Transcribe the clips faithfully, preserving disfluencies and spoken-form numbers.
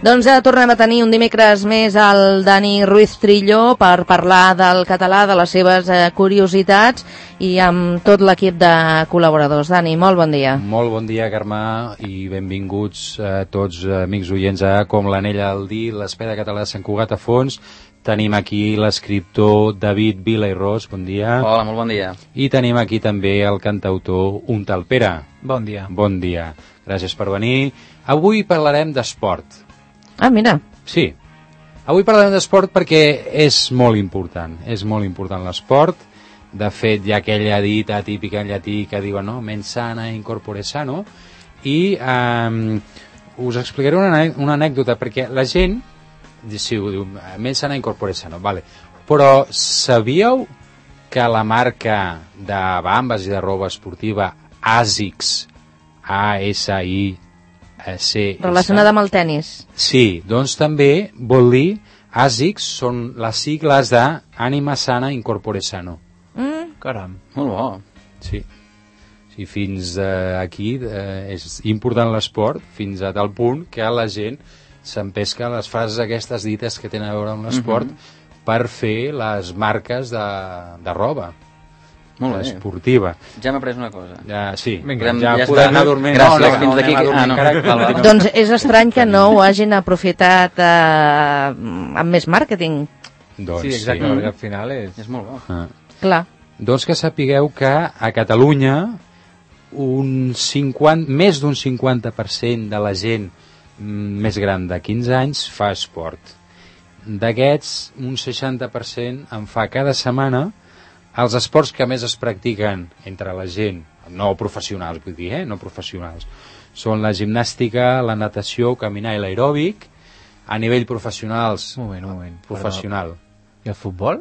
Doncs ja tornem a tenir un dimecres més el Dani Ruiz Trillo per parlar del català, de les seves eh, curiositats i amb tot l'equip de col·laboradors. Dani, molt bon dia. Molt bon dia, Carme, i benvinguts a tots amics oients a Com l'anella al dir, l'Espeda Català de Sant Cugat a fons. Tenim aquí l'escriptor David Vila i Ros, bon dia. Hola, molt bon dia. I tenim aquí també el cantautor Un tal Pere. Bon dia. Bon dia, gràcies per venir. Avui parlarem d'esport. Ah, mira. Sí, avui parlarem d'esport perquè és molt important, és molt important l'esport. De fet, hi ha aquella dita típica en llatí que diuen, no?, mens sana in corpore sano, i eh, us explicaré una, una anècdota, perquè la gent, sí, ho diu, mens sana in corpore sano, vale. Però sabíeu que la marca de bambes i de roba esportiva ASICS, A S I C S, relacionada amb el tennis. Sí, doncs també vol dir ASICS són les sigles de Ànima Sana in Corpore Sano. Mm. Caram. Molt bo. Sí. Sí, fins eh, aquí eh, és important l'esport, fins a tal punt que la gent s'empesca les frases aquestes dites que tenen a veure amb l'esport mm-hmm. per fer les marques de, de roba. Molt bé. Esportiva. Ja m'he après una cosa. Ja, sí, Vinga, ja, ja podem està. anar dormint. Gràcies, no, no, fins no, d'aquí. anem a Ah, no. dormir, Val, val. Doncs és estrany que no ho hagin aprofitat eh, amb més màrqueting. Doncs, Sí, exacte, sí. perquè al final és... És molt bo. Ah. Clar. Doncs que sapigueu que a Catalunya un cinquanta, més d'un cinquanta per cent de la gent més gran de quinze anys fa esport. D'aquests, un seixanta per cent en fa cada setmana. Els esports que més es practiquen entre la gent, no professionals, vull dir, eh? no professionals, són la gimnàstica, la natació, caminar i l'aeròbic. A nivell professionals, Un moment, un moment. professional. Però... I el futbol?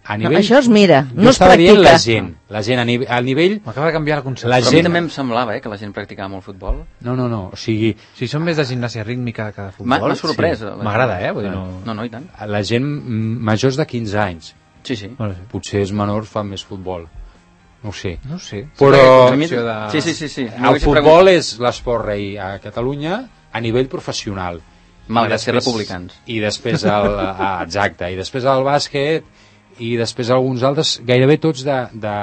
A No, nivell... això es mira, Jo no es estava dient practica. la gent, la gent a, nive a nivell... M'acaba de canviar la concepció. La Però a mi gent- també em semblava eh, que la gent practicava molt futbol. No, no, no, o sigui, Si són més de gimnàsia rítmica que de M'ha futbol... m'ha sorprès. sí. la- M'agrada, eh? Vull dir, no... No, no, i tant. la gent mm, majors de quinze anys, Sí, sí. Bueno, sí. potser els menors fan més futbol, no ho sé. No ho sé. Però A mi- de... Sí, sí, sí. sí. el futbol és l'esport rei a Catalunya a nivell professional. Malgrat I ser després- republicans. I després el, ah, exacte, i després el bàsquet i després alguns altres, gairebé tots de, de,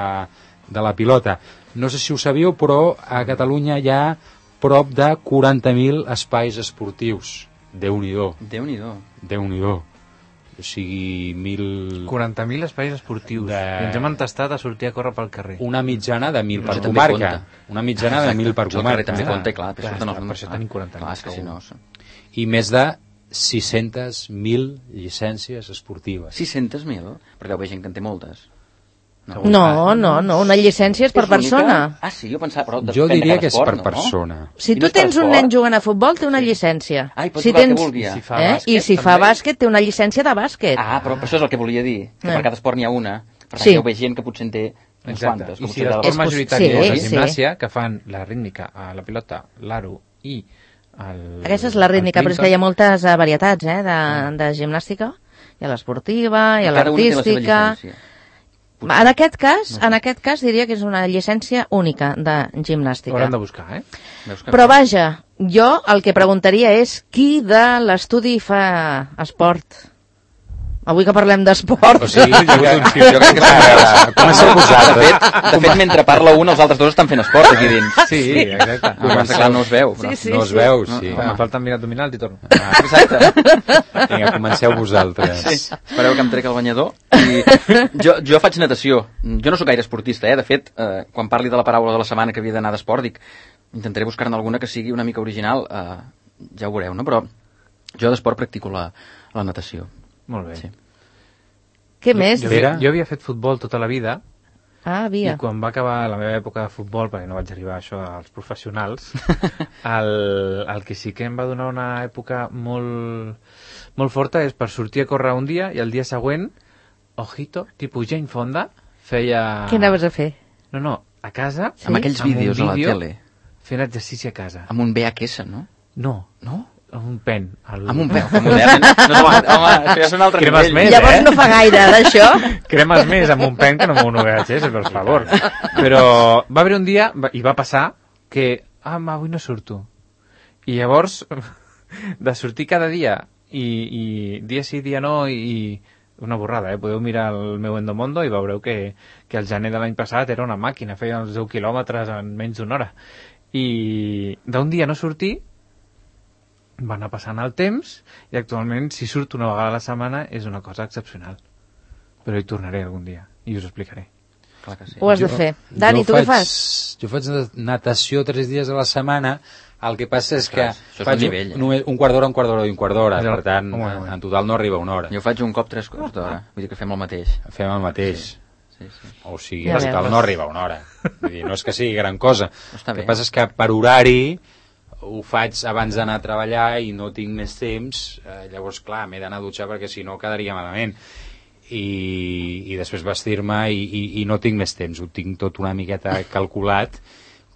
de la pilota. No sé si ho sabíeu, però a Catalunya hi ha prop de quaranta mil espais esportius. Déu-n'hi-do, Déu-n'hi-do. Déu-n'hi-do. O sigui, mil... quaranta mil espais esportius. De- I ens hem entestat a sortir a córrer pel carrer. Una mitjana de mil Però per això també comarca. compta. Una mitjana de mil per Això al carrer comarca. també Ah, compta, i clar, clar, surten per els això tenim quaranta mil, Clar, és que si segur. no... I més de sis-centes mil llicències esportives. sis-centes mil? Però deu haver gent que en té moltes. No, no, no, una llicència és per És l'única? persona. Ah, sí, jo pensava... Però Jo depèn de diria cada que és esport, per no? persona. Si I no tu és per tens un esport? nen jugant a futbol, té una llicència. Ah, i pot si jugar el que tens... vulgui. I si fa Eh? bàsquet, I si fa també? bàsquet, té una llicència de bàsquet. Ah, però això és el que volia dir, que Eh. per cada esport n'hi ha una. Per tant, Sí. hi deu haver gent que potser en té uns Exacte. quantes. I que si potser l'esport És poss- majoritari sí, és la sí. gimnàsia, que fan la rítmica, a la pilota, l'aro i el... Aquesta és la rítmica, el però és que hi ha clinton. moltes eh, varietats eh, de, de gimnàstica. Hi ha l'esportiva, hi ha Cada una té la seva l'artística... llicència. En aquest cas, en aquest cas diria que és una llicència única de Ho gimnàstica. hauran de buscar, eh? Veus que Però no? vaja, jo el que preguntaria és qui de l'estudi fa esport? Avui que parlem d'esport. O sigui, jo, jo, Jo crec que Ara, comenceu De vosaltres. fet, de fet, mentre parla un, els altres dos estan fent esport aquí dins. Sí, exacte. Ah, però, clar, no es veu. Però... Sí, sí. No es veu, sí. Home, em falten mirar abdominals i torno. Ah, Exacte. vinga, comenceu vosaltres. Sí. Espereu que em trec el banyador. I jo, jo faig natació. Jo no sóc gaire esportista, eh? De fet, eh, quan parli de la paraula de la setmana que havia d'anar d'esport, dic, intentaré buscar-ne alguna que sigui una mica original. Eh, ja ho veureu, no? Però jo d'esport practico la, la natació. Molt bé. Sí. Què més? Jo, havia, jo havia fet futbol tota la vida Ah, i via. quan va acabar la meva època de futbol, perquè no vaig arribar a això als professionals, el, el que sí que em va donar una època molt, molt forta és per sortir a córrer un dia i el dia següent, ojito, tipus Jane Fonda, feia... Què anaves a fer? No, no, a casa... Sí? Amb aquells amb un vídeos a la vídeo, tele. Fent exercici a casa. Amb un V H S, no? No, No? amb un pen. El... Amb un peu, que modern. No, home, home, això ja és un altre Cremes nivell. més, Llavors eh? no fa gaire d'això. Cremes més amb un pen que no amb un V H S, per favor. Però va haver un dia, va- i va passar, que, ah, ma, avui no surto. I llavors de sortir cada dia i, i dia sí, dia no, i una borrada, eh? Podeu mirar el meu Endomondo i veureu que, que el gener de l'any passat era una màquina, feia els deu quilòmetres en menys d'una hora. I d'un dia no sortir, va anar passant el temps, i actualment, si surt una vegada a la setmana, és una cosa excepcional. Però hi tornaré algun dia, i us explicaré. Clar que sí. Ho has de fer. Dani, tu què fas? Jo faig natació tres dies a la setmana. El que passa és que Ostres, faig un nivell, eh? només un quart d'hora, un quart d'hora i un quart d'hora. Allò, Per tant, home, home. en total no arriba a una hora. Jo faig un cop tres quarts d'hora. Vull dir que fem el mateix. Fem el mateix. Sí, sí. O sigui, Ja en total veus. no arriba a una hora. Vull dir, no és que sigui gran cosa. Està El que bé. passa és que per horari ho faig abans d'anar a treballar i no tinc més temps. Eh, llavors, clar, m'he d'anar a dutxar perquè si no quedaria malament. I, i després vestir-me i, i, i no tinc més temps. Ho tinc tot una miqueta calculat,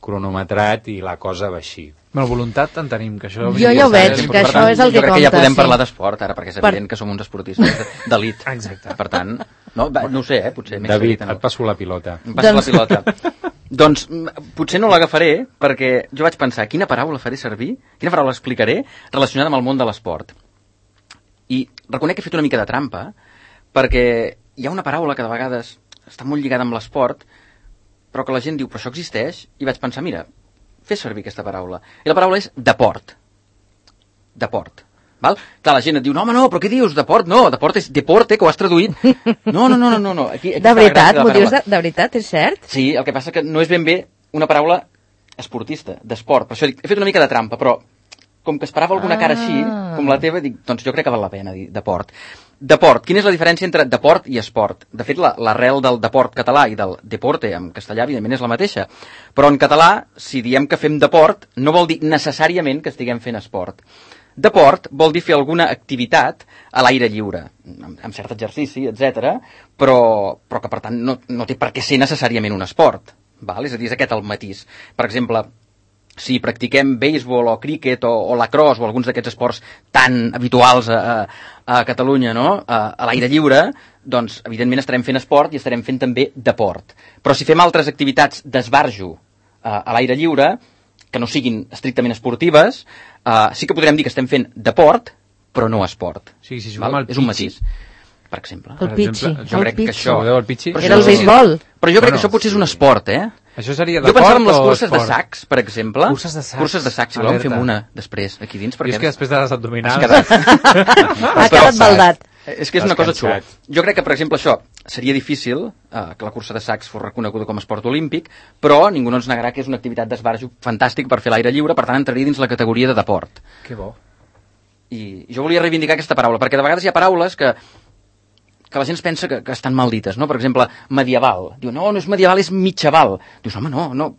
cronometrat i la cosa va així. Bueno, voluntat en tenim, que això... Jo ja ho veig, Sí, que per això tant, és el jo que crec que ja compta, podem sí. parlar d'esport ara, perquè és Per- evident que som uns esportistes d'elit. Exacte. Per tant, no, va, no ho sé, eh, potser. m'he David, excedit, et passo la pilota. Em passa Doncs- la pilota. Doncs mm, potser no l'agafaré perquè jo vaig pensar quina paraula faré servir, quina paraula explicaré relacionada amb el món de l'esport. I reconec que he fet una mica de trampa perquè hi ha una paraula que de vegades està molt lligada amb l'esport però que la gent diu, però això existeix? I vaig pensar, mira, fer servir aquesta paraula. I la paraula és deport. Deport. Val? Clar, la gent et diu, no, home, no, però què dius? Deport? No, deport és deporte, que ho has traduït. No, no, no, no, no. no. Aquí, aquí De està la veritat, gràcia m'ho la dius de, paraula. de veritat, és cert? Sí, el que passa que no és ben bé una paraula esportista, d'esport. Per això dic, he fet una mica de trampa, però com que esperava alguna cara així, Ah. com la teva, dic, doncs jo crec que val la pena dir deport. Deport. Quina és la diferència entre deport i esport? De fet, la- l'arrel del deport català i del deporte en castellà, evidentment, és la mateixa. Però en català, si diem que fem deport, no vol dir necessàriament que estiguem fent esport. Deport vol dir fer alguna activitat a l'aire lliure, amb, amb cert exercici, etcètera, però, però que, per tant, no, no té per què ser necessàriament un esport. Val? És a dir, és aquest el matís. Per exemple, si practiquem béisbol o críquet o, o lacrosse o alguns d'aquests esports tan habituals a, a, a Catalunya, no? a, a l'aire lliure, doncs evidentment estarem fent esport i estarem fent també deport. Però si fem altres activitats d'esbarjo a, a l'aire lliure, que no siguin estrictament esportives, uh, sí que podrem dir que estem fent deport, però no esport. O sigui, si juguem al És un pitxi- matís, per exemple. El Per pitxi, exemple, Jo el crec que pitxi. això... Sabeu el pitxi? Però Era el això- béisbol. Però jo crec Bueno, que això potser és un esport, eh? Això seria Jo de pensava en les o curses de esport? sacs, per exemple. Curses de sacs. Curses de sacs, si voleu en fem Alerta. una després, aquí dins, Jo perquè és que després de les abdominals... has quedat... Ha quedat baldat. És que és una cosa xula. Descansat. Jo crec que, per exemple, això seria difícil, eh, que la cursa de sacs fos reconeguda com a esport olímpic, però ningú no ens negarà que és una activitat d'esbarjo fantàstic per fer l'aire lliure, per tant entraria dins la categoria de deport. Que bo. I jo volia reivindicar aquesta paraula, perquè de vegades hi ha paraules que que la gent es pensa que, que estan mal dites, no? Per exemple, medieval. Diu, no, no és medieval, és mitjaval. Dius, home, no, no.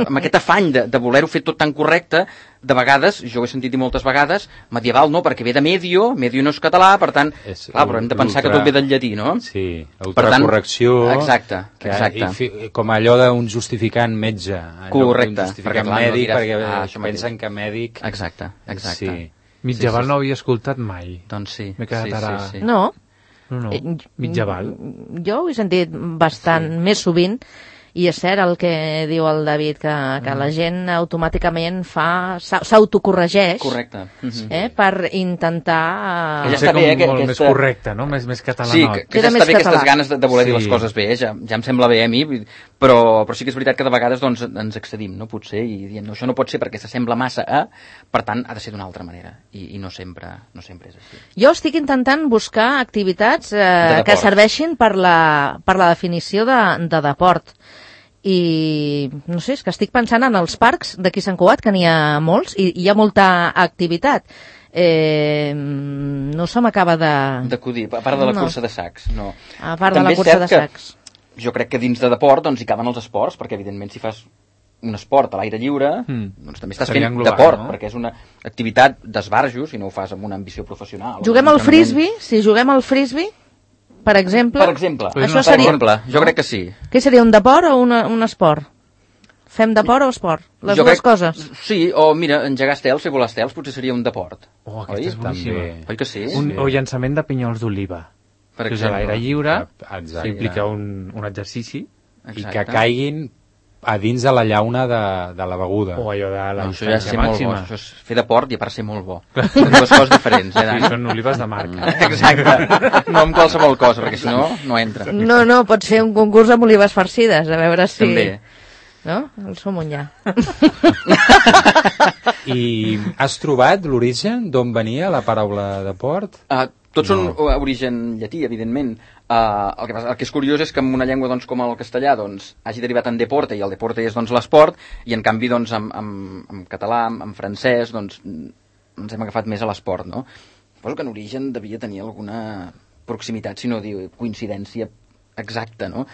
Amb aquest afany de, de voler-ho fer tot tan correcte, de vegades, jo ho he sentit dir moltes vegades, medieval no, perquè ve de medio, medio no és català, per tant, És clar, però hem de pensar que tot ve del llatí, no? Sí, Per tant, autocorrecció. exacte, que, exacte. I fi, com allò d'un justificant metge. en lloc d'un Correcte, perquè, justificant clar, no mèdic, diràs, perquè ah, això mateix. pensen que mèdic... Exacte, exacte. Sí. Mitjaval Sí, sí, no havia escoltat mai. Doncs sí. M'he quedat sí, ara- sí, sí. No. No, no. Eh, Mitjaval. Jo ho he sentit bastant sí. més sovint i és cert el que diu el David, que, que la gent automàticament fa s'au- s'autocorregeix Correcte. Mhm. eh, per intentar... Ja Ja està està bé, com eh, que molt aquesta- més correcte, no? Més, més catalanot. Sí, que, que Queda ja més està bé aquestes català. ganes de, de voler dir les Sí. coses bé, eh? ja, ja em sembla bé a mi, vull dir, però, però sí que és veritat que de vegades doncs, ens excedim, no? Potser, i diem, no, això no pot ser perquè s'assembla massa a, per tant, ha de ser d'una altra manera, i, i no, sempre, no sempre és així. Jo estic intentant buscar activitats eh, deport. que serveixin per la, per la definició de, de deport. I no sé, és que estic pensant en els parcs d'aquí a Sant Cugat, que n'hi ha molts, i hi ha molta activitat. Eh, no se m'acaba de... D'acudir, a part de la No. cursa de sacs, no. A part de També la és cursa cert de que sacs. Jo crec que dins de deport doncs, hi caben els esports, perquè evidentment si fas un esport a l'aire lliure, Mm. doncs també estàs Seria fent englobar, deport, no? perquè és una activitat d'esbarjo, si no ho fas amb una ambició professional. Juguem o al un entrenament. frisbee? Si juguem al frisbee, per exemple... Per exemple, Però és Això una per seria... exemple, jo crec que sí. Què seria, un deport o una, un esport? Fem deport o esport? Les Jo dues crec- coses. Sí, o mira, engegar estels, fer volar estels, potser seria un deport. Oh, aquesta Oi? és boníssima. També. Oi que sí? Un, Sí. o llançament de pinyols d'oliva. Per Que és a l'aire lliure, Exacte. s'implica un, un exercici. I que caiguin a dins de la llauna de, de la beguda. O allò de la No, això ja és distància ser molt bo. màxima. Això és fer de port i a part ser molt bo. Són dues coses diferents, eh, Sí, Dani? són olives de marca. Exacte. No amb qualsevol cosa, perquè si no, no entra. No, no, pots fer un concurs amb olives farcides, a veure si... També. No? El Somunyà. I has trobat l'origen d'on venia la paraula de port? Uh, tots són No. uh, origen llatí, evidentment. Uh, el, que passa, el que és curiós és que en una llengua doncs, com el castellà doncs, hagi derivat en deporte, i el deporte és doncs, l'esport, i en canvi doncs, en, en, en català, en, en francès, doncs, ens hem agafat més a l'esport, no? Suposo que en origen devia tenir alguna proximitat, si no dir coincidència exacta, no?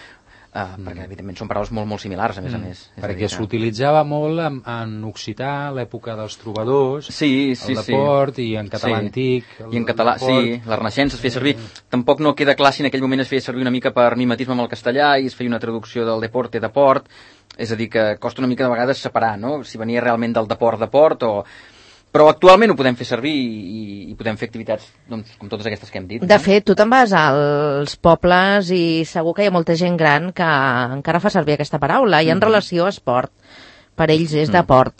Uh, mm. Perquè, evidentment, són paraules molt, molt similars, a més mm. a més. És a Perquè dir que- s'utilitzava molt en, en occità, l'època dels trobadors, Sí, sí, el sí. de port, i en català Sí. antic. El, I en català, el port. sí, la Renaixença es feia servir. Tampoc no queda clar si en aquell moment es feia servir una mica per mimetisme amb el castellà i es feia una traducció del deporte de port. És a dir, que costa una mica de vegades separar, no? Si venia realment del deport de port o... Però actualment ho podem fer servir i, i podem fer activitats doncs, com totes aquestes que hem dit. De fet, tu te'n vas als pobles i segur que hi ha molta gent gran que encara fa servir aquesta paraula i en Mhm. relació a esport. Per ells és de Mhm. port.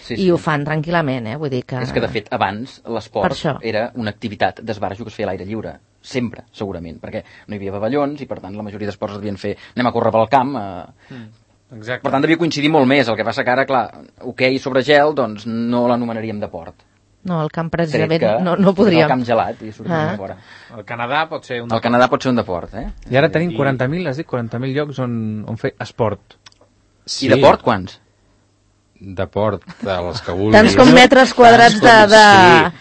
Sí, I sí. ho fan tranquil·lament, eh? Vull dir que... És que, de fet, abans Per l'esport això. era una activitat d'esbarjo que es feia a l'aire lliure. Sempre, segurament, perquè no hi havia pavellons i, per tant, la majoria d'esports es devien fer... Anem a córrer pel camp... Eh... Exacte. Per tant, devia coincidir molt més. El que passa que ara, clar, hoquei sobre gel, doncs no l'anomenaríem de port. No, el camp Tret precisament que no, no és podríem. el camp gelat i sortim Ah. a fora. El Canadà pot ser un... El Canadà pot ser un deport, eh? I ara tenim quaranta mil, has dit, quaranta mil llocs on, on fer esport. Sí, I de port, quants? De port, dels que vulguis. Tants com metres quadrats de... de...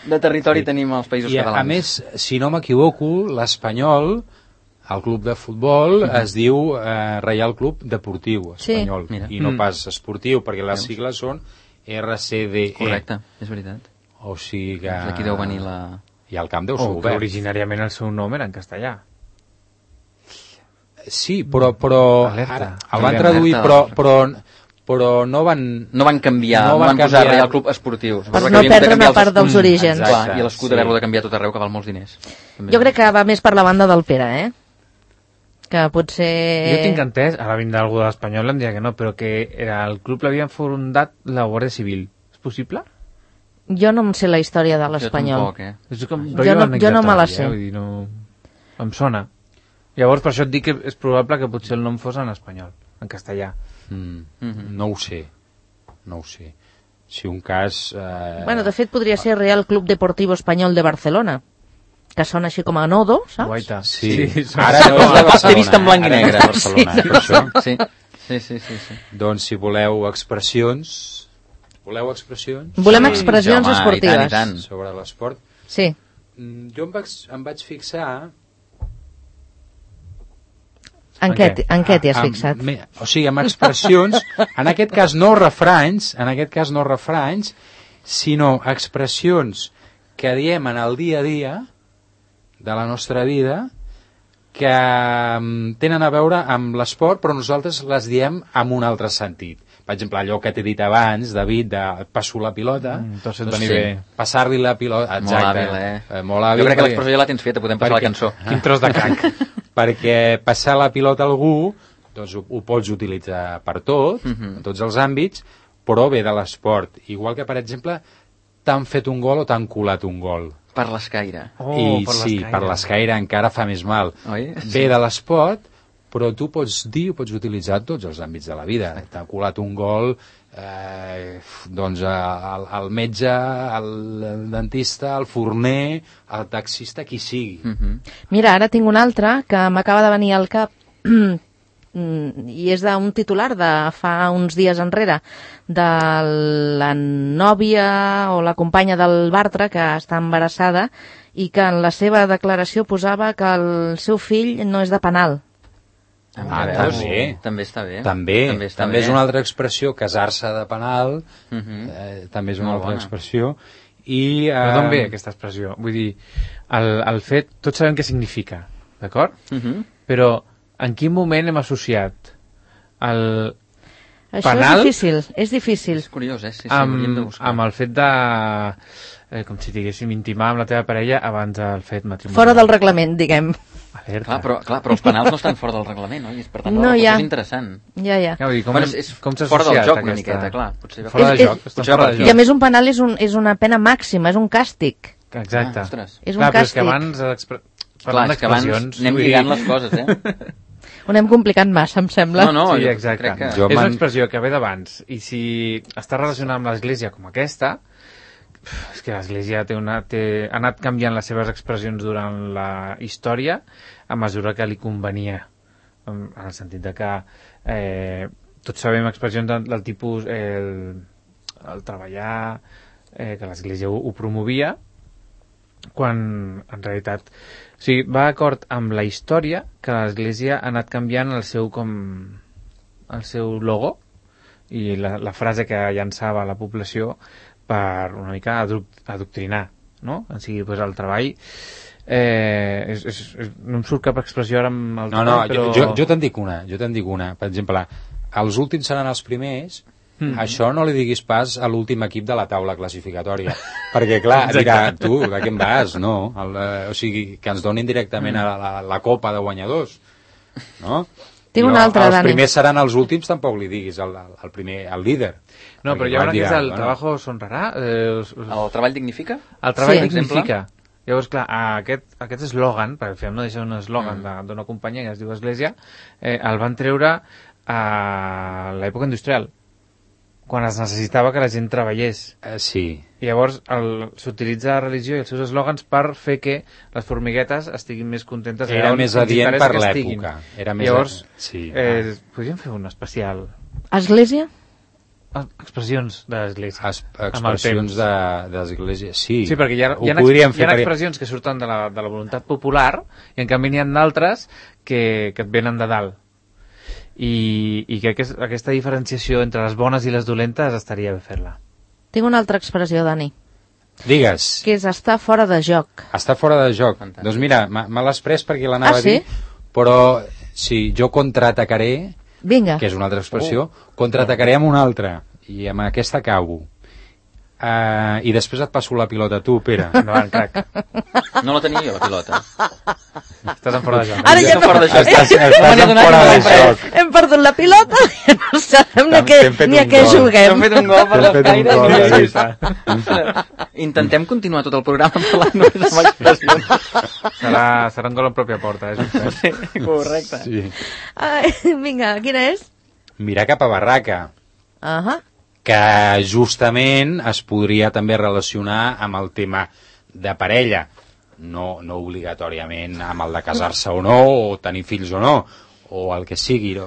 Sí. De territori Sí. tenim als països I a, catalans. a més, si no m'equivoco, l'Espanyol, el club de futbol, Mhm. es diu eh, Reial Club Deportiu Sí. Espanyol, Mira. i no Mm. pas esportiu, perquè les Veus? sigles són R C D E. Correcte, és veritat. O sigui que... Doncs aquí deu venir la... I el camp deu ser O que obert. originàriament el seu nom era en castellà. Sí, però, però Alerta. ara, el Alerta. van traduir, però, però, però no van... No van canviar, No no, van van, posar canviar. Reial Club Esportiu. Per Suposo que no havien de perdre canviar una els- part dels Mm, orígens. exacte. Clar, i l'escut Sí. haver-lo de canviar a tot arreu, que val molts diners. També. Jo crec que va més per la banda del Pere, eh? Que potser... Jo tinc entès, ara vindrà algú de l'Espanyol, em dirà que no, però que era, el club l'havien fundat la Guàrdia Civil. És possible? Jo no em sé la història de Jo l'Espanyol. tampoc, eh? És com Jo rotllo no- jo no me la anecdotari, sé. Eh? Vull dir, no... Em sona. Llavors, per això et dic que és probable que potser el nom fos en espanyol, en castellà. Mm, Mhm. No ho sé, no ho sé. Si un cas... Eh, Bueno, de fet, podria ser Real Club Deportivo Espanyol de Barcelona, que sona així com a nodo, saps? Guaita. Sí, sona- ara Sí, no sí, a sí, Barcelona, t'he vist en blanc i ara no negre. a Barcelona, Sí, per això. Sí, sí, sí, sí, sí. Doncs si voleu expressions... Voleu expressions? Volem Sí, expressions home, i tant, i esportives. tant. Sobre l'esport? Sí. Mm, Jo em vaig, em vaig fixar... En, En què, què? en què t'hi has amb- fixat? me- O sigui, amb expressions, en aquest cas no refranys, en aquest cas no refranys, sinó expressions que diem en el dia a dia de la nostra vida que mm, tenen a veure amb l'esport, però nosaltres les diem amb un altre sentit. Per exemple, allò que t'he dit abans, David, de passo la pilota, Mm, tot se't doncs veni sí, bé. passar-li la pilota, Molt exacte. hàbil, eh? Eh, molt hàbil. Jo crec que perquè- l'expressió ja la tens feta, podem passar perquè- la cançó. Quin tros de crac. perquè passar la pilota a algú doncs ho, ho pots utilitzar per tot, Mhm. en tots els àmbits, però ve de l'esport. Igual que, per exemple, t'han fet un gol o t'han colat un gol. Per l'escaire. Oh, I per sí, l'escaire. per l'escaire encara fa més mal. Oi? Ve de l'esport, però tu pots dir, ho pots utilitzar en tots els àmbits de la vida. T'ha colat un gol, eh, doncs el, el metge, el dentista, el forner, el taxista, qui sigui. Mhm. Mira, ara tinc un altre que m'acaba de venir al cap mm, i és d'un titular de fa uns dies enrere de la nòvia o la companya del Bartra que està embarassada i que en la seva declaració posava que el seu fill no és de penal. Ah, veus? també. També està bé. També, també, està també bé. és una altra expressió, casar-se de penal, Mhm. eh, també és una Molt altra bona. expressió. I, eh, Però d'on ve aquesta expressió? Vull dir, el, el fet, tots sabem què significa, d'acord? Mhm. Però en quin moment hem associat el, Això Penal? és difícil, és difícil. És curiós, eh? Sí, sí, ho hauríem de amb, buscar. amb el fet de... Eh, com si diguéssim, intimar amb la teva parella abans del fet matrimonial. Fora del reglament, diguem. Alerta. Clar, però, clar, però els penals no estan fora del reglament, oi? Per tant, No, la ja. és interessant. Ja, ja. Ja, vull dir, com, Bueno, és, és com s'ha fora del associat joc una aquesta... miqueta, clar. Potser va- Fora de És- joc, és- estan potser va fora per de I a joc. més un penal és, un, és una pena màxima, és un càstig. Exacte. Ah, ostres. És un Clar, però és que càstig. abans... Expre... Clar, és que abans d'expressions, anem vull dir- lligant les coses, eh? Ho anem complicant massa, em sembla. No, no, Sí, jo exacte. crec que... Jo És una m'han- expressió que ve d'abans, i si està relacionada amb l'Església com aquesta, és que l'Església té una, té, ha anat canviant les seves expressions durant la història a mesura que li convenia, en, en el sentit de que eh, tots sabem expressions del, del tipus eh, el, el treballar, eh, que l'Església ho, ho promovia, quan en realitat o sigui, va d'acord amb la història que l'Església ha anat canviant el seu com el seu logo i la, la frase que llançava a la població per una mica adoc- adoctrinar, no? En sigui, pues, el treball eh, és, és, és, no em surt cap expressió ara amb el No, no, treball, però... jo, jo, jo te'n dic una, jo te'n dic una. Per exemple, els últims seran els primers, Mm. això no li diguis pas a l'últim equip de la taula classificatòria, perquè clar, Exacte. dirà, tu, de què em vas? No, el, eh, o sigui, que ens donin directament Mm. a la, la, la copa de guanyadors, no? Tinc I una altra, els Dani. primers seran els últims, tampoc li diguis al, al, al primer, al líder. No, Perquè però hi ha una que dirà, és el bueno, trabajo sonrarà, eh, us- us- El treball dignifica? el treball Sí. dignifica. Llavors, clar, aquest, aquest eslògan, perquè al final no deixa un eslògan Mm. d'una companyia que es diu Església, eh, el van treure a l'època industrial, quan es necessitava que la gent treballés. Eh, sí, I llavors el- s'utilitza la religió i els seus eslògans per fer que les formiguetes estiguin més contentes. era allà on més els adient interessa per que estiguin. l'època. Era més Llavors, a- sí, eh, podríem fer un especial Església? ah, expressions de l'Església. Es, amb el expressions temps. de, d'església, sí. Sí, perquè hi ha, ho hi ha, podríem ex, hi ha fer. perquè- expressions que surten de la, de la voluntat popular i en canvi n'hi ha d'altres que, que et venen de dalt. I, i crec que és- aquesta diferenciació entre les bones i les dolentes estaria bé fer-la. Tinc una altra expressió, Dani, Digues, que és estar fora de joc. està fora de joc. Fantàstic. Doncs mira, me me l'has pres perquè l'anava Ah, a dir, sí? però sí, jo contraatacaré, Vinga. que és una altra expressió, contraatacaré amb una altra, i amb aquesta acabo. Uh, I després et passo la pilota a tu, Pere. Endavant, crac. No la tenia jo, la pilota. Estàs en fora de joc. Ara ja Estem fora de joc. Estàs, No me estàs n'he en donat fora ni de una joc. Hem perdut la pilota i no sabem ni a T'hem- què, t'hem fet ni a un què gol. Hem juguem. fet un gol per T'hem les fet un caires. gol, i- sí, sí. Intentem continuar tot el programa parlant només amb expressions. Serà, serà un gol en pròpia porta, és un fet. Sí, correcte. Sí. Ai, vinga, quina és? Mirar cap a barraca, Ahà. que justament es podria també relacionar amb el tema de parella, no, no obligatòriament amb el de casar-se o no, o tenir fills o no, o el que sigui. No.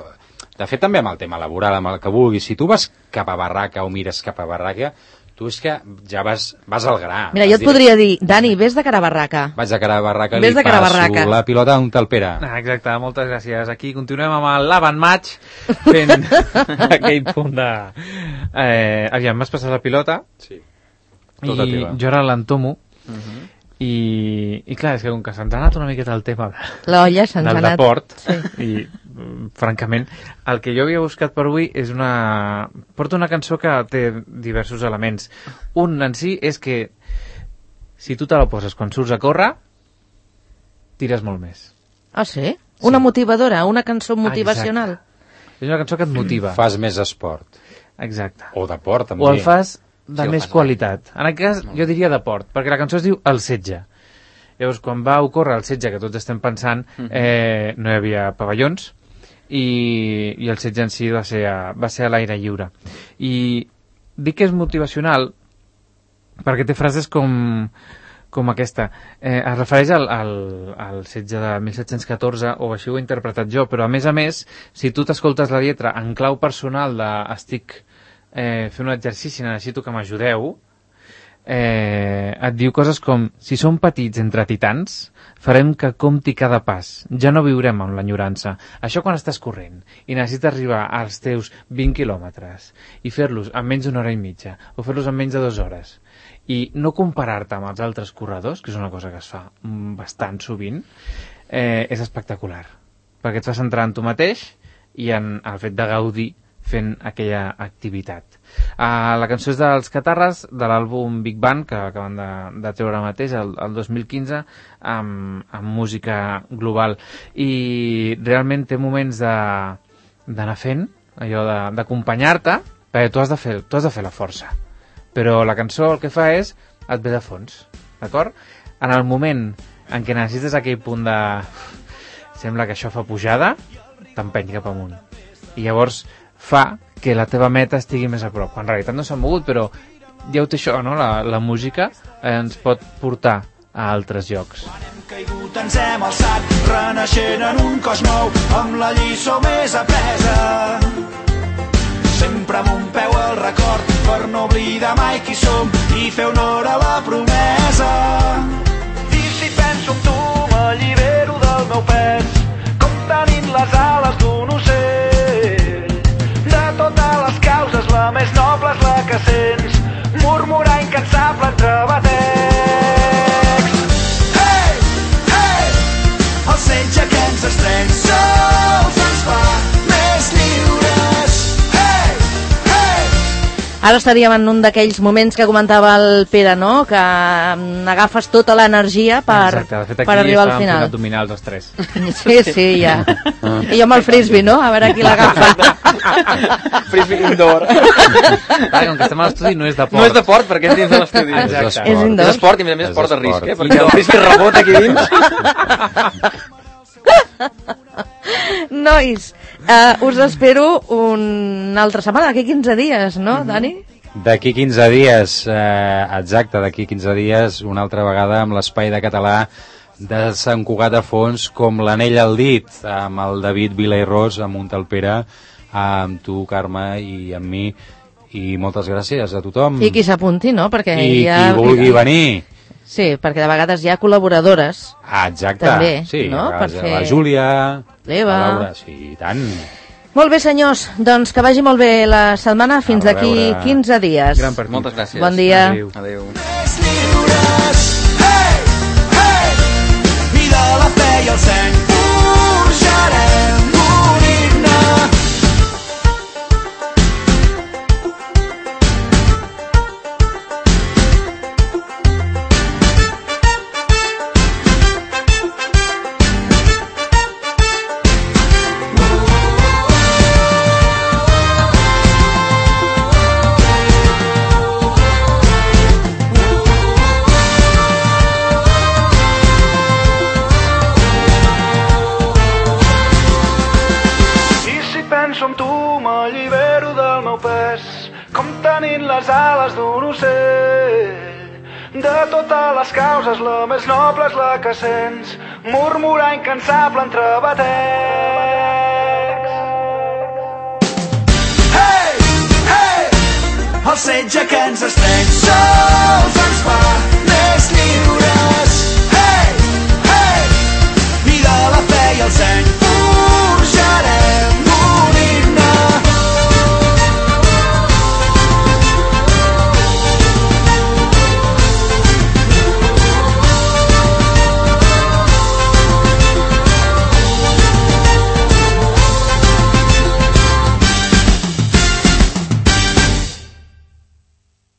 De fet, també amb el tema laboral, amb el que vulguis. Si tu vas cap a barraca o mires cap a barraca, tu és que ja vas, vas al gra. Mira, jo et podria dir, Dani, vés de cara a barraca. Vaig de cara a barraca, Ves li de cara a passo barraca. la pilota on te'l Pere. Ah, exacte, moltes gràcies. Aquí continuem amb el Laban Match fent aquell punt de... Eh, aviam, m'has passat la pilota Sí. Tota i teva. jo ara l'entomo Uh -huh. i, i clar, és que com que se'ns ha anat una miqueta el tema de, L'olla se'ns ha del anat. deport i mm, francament el que jo havia buscat per avui és una... porta una cançó que té diversos elements. Un en si és que si tu te la poses quan surts a córrer tires molt més. Ah, sí? Una motivadora, una cançó motivacional. És una cançó que et motiva. Fas més esport. Exacte. O deport, també. O el fas de Sí, el més fas qualitat. En aquest cas, jo diria deport, perquè la cançó es diu El setge. Llavors, quan va ocórrer el setge, que tots estem pensant, eh, no hi havia pavellons, i, i el setge en si va ser a, va ser a l'aire lliure. I dic que és motivacional perquè té frases com, com aquesta. Eh, es refereix al, al, al setge de mil set-cents catorze, o així ho he interpretat jo, però a més a més, si tu t'escoltes la lletra en clau personal de estic eh, fent un exercici, necessito que m'ajudeu, eh, et diu coses com: si som petits entre titans, farem que compti cada pas, ja no viurem amb l'enyorança. Això quan estàs corrent i necessites arribar als teus vint quilòmetres i fer-los en menys d'una hora i mitja o fer-los en menys de dues hores i no comparar-te amb els altres corredors, que és una cosa que es fa mm, bastant sovint, eh, és espectacular, perquè et fa centrar en tu mateix i en el fet de gaudir fent aquella activitat. Uh, la cançó és dels Catarres, de l'àlbum Big Band, que acaben de, de treure ara mateix, el, el dos mil quinze, amb, amb música global. I realment té moments de, d'anar fent, allò de, d'acompanyar-te, perquè tu has de fer, tu has de fer la força. Però la cançó el que fa és, et ve de fons, d'acord? En el moment en què necessites aquell punt de... sembla que això fa pujada, t'empeny cap amunt. I llavors fa que la teva meta estigui més a prop. En realitat no s'ha mogut, però ja ho té això, no? La, la música eh, ens pot portar a altres llocs. Quan hem caigut ens hem alçat, renaixent en un cos nou, amb la lliçó més apresa. Sempre amb un peu al record, per no oblidar mai qui som i fer honor a la promesa. I si penso en tu m'allibero del meu pes, com tenint les ales d'un ocell. De totes les causes la més noble és la que sents, murmurar incansable entre batecs. Hey, hey, el setge que ens estreny sols ens fa més lliures. Hey, hey. Ara estaríem en un d'aquells moments que comentava el Pere, no? Que agafes tota l'energia per, Exacte, de fet, per arribar al final. Exacte, abdominals els tres. Sí, sí, ja. I jo amb el frisbee, no? A veure qui l'agafa. Frisbee indoor. Clar, com que estem a l'estudi no és de port. No és de port, perquè és dins de l'estudi. Exacte. És indoor. És esport i a més a més És esport de esport. risc, eh? Perquè el frisbee rebota aquí dins. Nois, uh, us espero una altra setmana, d'aquí quinze dies, no, Dani? D'aquí quinze dies, eh, exacte, d'aquí quinze dies, una altra vegada amb l'espai de català de Sant Cugat de Fons, com l'anell al dit, amb el David Vila i Ros, amb un tal Pere, amb tu, Carme, i amb mi, i moltes gràcies a tothom. I qui s'apunti, no? Perquè I ja... qui vulgui venir. Sí, perquè de vegades hi ha col·laboradores. Ah, exacte. També, sí, no? a Per vegades fer- la Júlia, l'Eva. la Laura, sí, i tant. Molt bé, senyors, doncs que vagi molt bé la setmana fins A d'aquí reveure. quinze dies. Gran partit. Moltes gràcies. Bon dia. Adéu. Adéu. Més lliures. Hey, hey, i de la fe i el seny forjarem un himne. Penso en tu, m'allibero del meu pes, com tenint les ales d'un ocell. De totes les causes, la més noble és la que sents, murmurar incansable entre batecs. Hey, hey, el setge que ens estreny sols